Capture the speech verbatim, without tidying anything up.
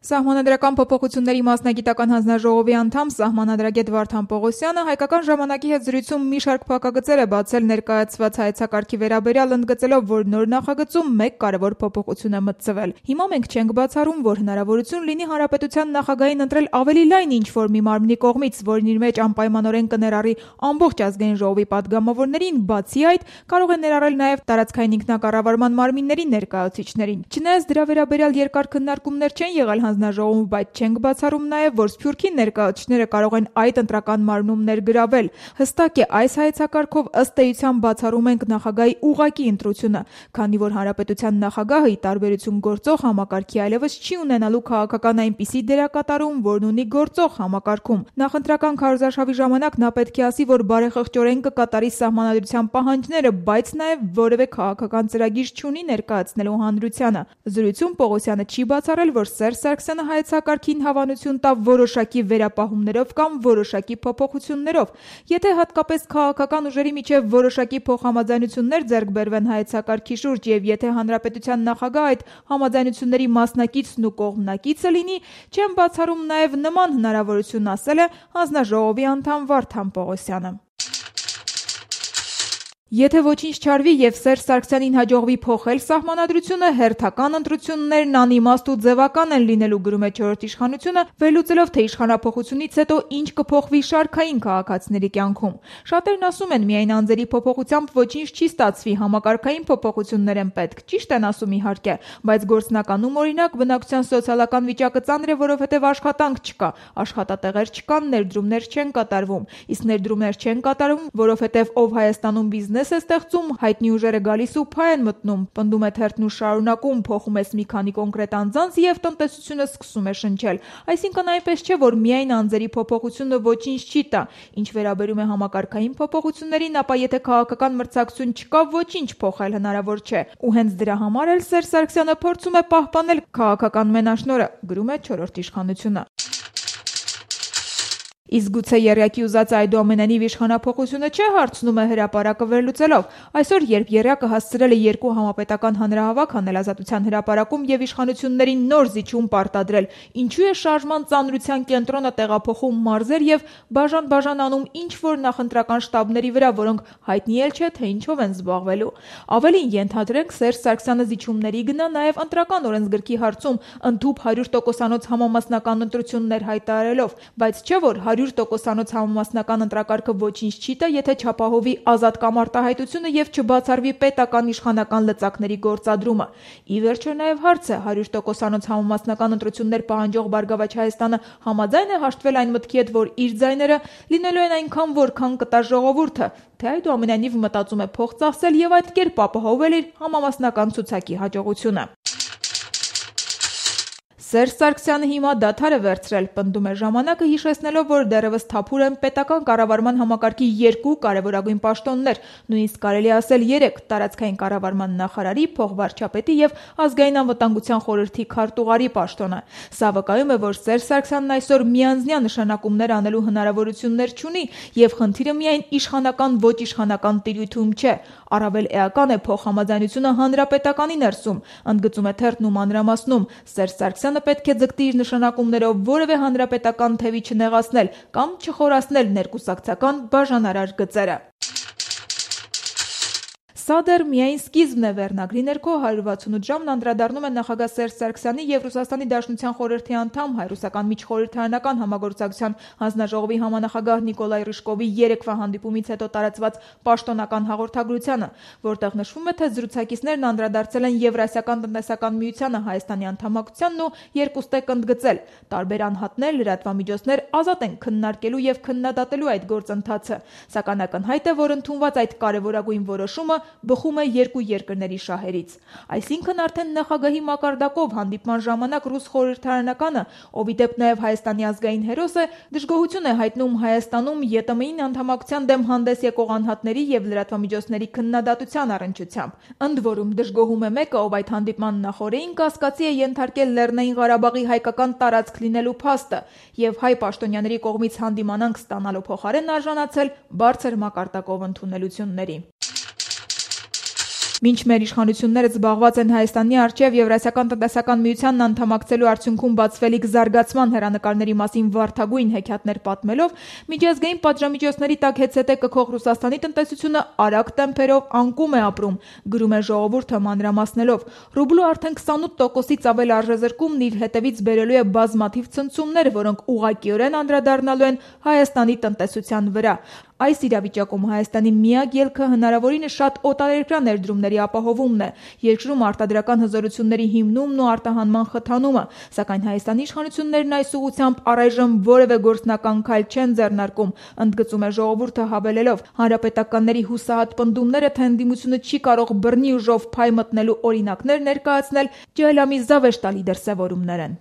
Սահմանադրական փոփոխությունների մասնագիտական հանձնաժողովի անդամ սահմանադրագետ Վարդան Պողոսյանը հայկական ժամանակի հետ զրույցում մի շարք փակագծեր է բացել ներկայացված հայեցակարգի վերաբերյալ, ընդգծելով, որ նոր նախագծում մեկ կարևոր փոփոխություն է մտցվել։ Հիմա մենք չենք բացառում, որ հնարավորություն լինի հանրապետության նախագահին ընտրել ավելի լայն ինչ-որ մի մարմնի կողմից, որն իր մեջ անպայմանորեն կներառի ամբողջ ազգային ժողովի падգամավորներին, բացի այդ կարող է ներառել նաև տարածքային ինքնակառավարման մարմինների ներկայացուցիչներին։ Չնայած դրա վերաբերյալ երկար քննարկումներ չեն եղել հանձնաժողովում, բայց չենք բացառում նաև, որ Սփյուռքի ներկայացուցիչները կարող են այդ ընտրական մարմնում ներգրավել։ Հստակ է, այս հայեցակարգով ըստ էության բացառում ենք նախագահի ուղղակի ընտրությունը, քանի որ հանրապետության նախագահը, ի տարբերություն գործող համակարգի, այլևս չի ունենալու քաղաքական այնպիսի դերակատարում, որն ունի գործող համակարգում։ Նախընտրական քարոզարշավի ժամանակ նա պետք է ասի, որ բարեխղճորեն կկատարի սահմանադրության պահանջները, բայց նաև որևէ քաղաքական ծրագիր չունի ներկայացնելու հանրությանը։ Զրույցում Պողոսյանը չի բացառել, որ Սերժ Սարգսյանը հայեցակարգին հավանություն տա որոշակի վերապահումներով կամ որոշակի փոփոխություններով։ Եթե հատկապես քաղաքական ուժերի միջև որոշակի փոխհամաձայնություններ ձեռք բերվեն հայեցակարգի շուրջ եւ եթե հանրապետության նախագահ այդ համաձայնությունների մասնակիցն ու կողմնակիցը լինի, չեմ բացառում նաև նման հնարավորություն, ասել է հանձնաժողովի անդամ Վարդան Պողոսյանը։ Եթե ոչինչ չարվի եւ Սերժ Սարգսյանին հաջողվի փոխել սահմանադրությունը, հերթական ընտրություններն անիմաստ ու ձևական են լինելու, գրում է չորրորդ իշխանությունը, վերլուծելով, թե իշխանափոխությունից հետո ինչ կփոխվի շարքային քաղաքացիների կյանքում։ Շատերն ասում են, միայն անձերի փոփոխությամբ ոչինչ չի ստացվի, համակարգային փոփոխություններ են պետք, ճիշտ են ասում իհարկե, բայց գործնականում օրինակ բնակչության սոցիալական վիճակը ծանր է, որովհետեւ աշխատանք չկա, աշխատատեղեր չկան, ներդրումներ չեն կատարվում, իսկ ներդրումներ չեն կատարվում, որովհետեւ ով Հայաստանում բիզնես է ստեղծում, հայտնի ուժերը գալիս ու փայ են մտնում, պնդում է թերթն ու շարունակում, փոխում ես մի քանի կոնկրետ անձանց եւ տնտեսությունը սկսում է շնչել։ Այսինքն այնպես չէ, որ միայն անձերի փոփոխությունը ոչինչ չի տա։ Ինչ վերաբերում է համակարգային փոփոխություններին, ապա եթե քաղաքական մրցակցություն չկա, ոչինչ փոխել հնարավոր չէ։ Ու հենց դրա համար էլ Սերժ Սարգսյանը փորձում է պահպանել քաղաքական մենաշնորհը, գրում է չորրորդ իշխանությունը։ Իսկ գուցե եռյակի ուզած այդուամենայնիվ իշխանափոխությունը չէ, հարցնում է հրապարակը վերլուծելով։ Այսօր, երբ եռյակը հասցրել է երկու համապետական հանրահավաք անել Ազատության հրապարակում եւ իշխանություններին նոր զիջում պարտադրել, ինչու է շարժման ծանրության կենտրոնը տեղափոխում մարզեր եւ բաժան-բաժան անում ինչ-որ նախընտրական շտաբների վրա, որոնք հայտնի էլ չէ, թե ինչով են զբաղվելու։ Ավելին, ենթադրենք, Սերժ Սարգսյանը զիջումների գնա նաեւ ընտրական օրենսգրքի հարցում ընդհուպ հարյուր տոկոսանոց համամասնական ընտրություններ հայտարարելով, բայց չէ որ հարյուր տոկոսանոց համամասնական ընտրակարգը ոչինչ չի տա, եթե չապահովի ազատ կամ արտահայտությունը եւ չբացառվի պետական իշխանական լծակների գործադրումը։ Ի վերջո նաեւ հարց է, հարյուր տոկոսանոց համամասնական ընտրություններ պահանջող Բարգավաճ Հայաստանը համաձայն է հաշտվել այն մտքի հետ, որ իր ձայները լինելու են այնքան, որքան կտա ժողովուրդը, թե այդուամենայնիվ մտածում է փող ծախսել եւ այդ կերպ ապահովել իր համամասնական ցուցակի հաջողությունը։ Սերժ Սարգսյանը հիմա դադար է վերցրել, պնդում է ժամանակը, հիշեցնելով, որ դեռևս թափուր են պետական կառավարման համակարգի երկու կարևորագույն պաշտոններ, նույնիսկ կարելի ասել երեք՝ տարածքային կառավարման նախարարի, փոխվարչապետի եւ ազգային անվտանգության խորհրդի քարտուղարի պաշտոնը։ Սա վկայում է, որ Սերժ Սարգսյանն այսօր միանձնյա նշանակումներ անելու հնարավորություններ չունի եւ խնդիրը միայն իշխանական ոչ իշխանական տիրույթում չէ։ Առավել էական է փոխհամաձայնությունը հանրապետականի ներսում, ընդգծում է թերթն ու մանրամասնում։ Սերժ Սարգսյանը պետք է ձգտի իր նշանակումներով որևէ հանրապետական թևի չնեղացնել կամ չխորացնել ներկուսակցական բաժանարար գծերը։ Սա դեռ միայն սկիզբն է, վերնագրի ներքո հարյուր վաթսունութ ժամն անդրադառնում է նախագահ Սերժ Սարգսյանի եւ Ռուսաստանի Դաշնության խորհրդի անդամ հայ-ռուսական միջխորհրդարանական համագործակցության հանձնաժողովի համանախագահ Նիկոլայ Ռիժկովի երեկվա հանդիպումից հետո տարածված պաշտոնական հաղորդագրությանը, որտեղ նշվում է, թե զրուցակիցներն անդրադարձել են Եվրասիական տնտեսական միությանը Հայաստանի անդամակցությանն ու երկուստեք ընդգծել. տարբեր անհատներ, լրատվամիջոցներ ազատ են քննարկելու եւ քննադատելու այդ գործընթացը, սակայն ակնհայտ է, որ ընդունված այդ կարեւորագույն որոշումը բխում է երկու երկրների շահերից։ Այսինքն արդեն նախագահի մակարդակով հանդիպման ժամանակ ռուս խորհրդարանականը, ով ի դեպ նաև Հայաստանի ազգային հերոս է, դժգոհություն է հայտնում Հայաստանում ԵՏՄ-ին անդամակցության դեմ հանդես եկող անհատների եւ լրատվամիջոցների քննադատության առնչությամբ։ Ընդ որում դժգոհում է մեկը, ով այդ հանդիպման նախօրեին կասկածի է ենթարկել Լեռնային Ղարաբաղի հայկական տարածք լինելու փաստը եւ հայ պաշտոնյաների կողմից հանդիմանանք ստանալու փոխարեն արժանացել բարձր մակարդակով ընդունելությունների։ Մինչ մեր իշխանությունները զբաղված են Հայաստանի առջև Եվրասիական տնտեսական միությանն անդամակցելու արդյունքում բացվելիք զարգացման հեռանկարների մասին վարդագույն հեքիաթներ պատմելով, միջազգային պատժամիջոցների տակ հեծհետե կքող Ռուսաստանի տնտեսությունը արագ տեմպերով անկում է ապրում, գրում է ժողովուրդը մանրամասնելով։ Ռուբլու արդեն քսանութ տոկոսից ավել արժեզրկումն իր հետևից բերելու է բազմաթիվ ցնցումներ, որոնք ուղղակիորեն անդրադառնալու են Հայաստանի տնտեսության վրա։ Այս իրավիճակում Հայաստանի միակ ելքը հնարավորինս շատ օտարերկրյա ներդրումների ապահովումն է, երկրում արտադրական հզորությունների հիմնումն ու արտահանման խթանումը, սակայն Հայաստանի իշխանություններն այս ուղղությամբ առայժմ որևէ գործնական քայլ չեն ձեռնարկում, ընդգծում է ժողովուրդը հավելելով. հանրապետականների հուսահատ պնդումները, թե ընդդիմությունը չի կարող բռնի ուժով փայ մտնելու օրինակներ ներկայացնել, ջահելամի զավեշտալի դրսևորումներ են։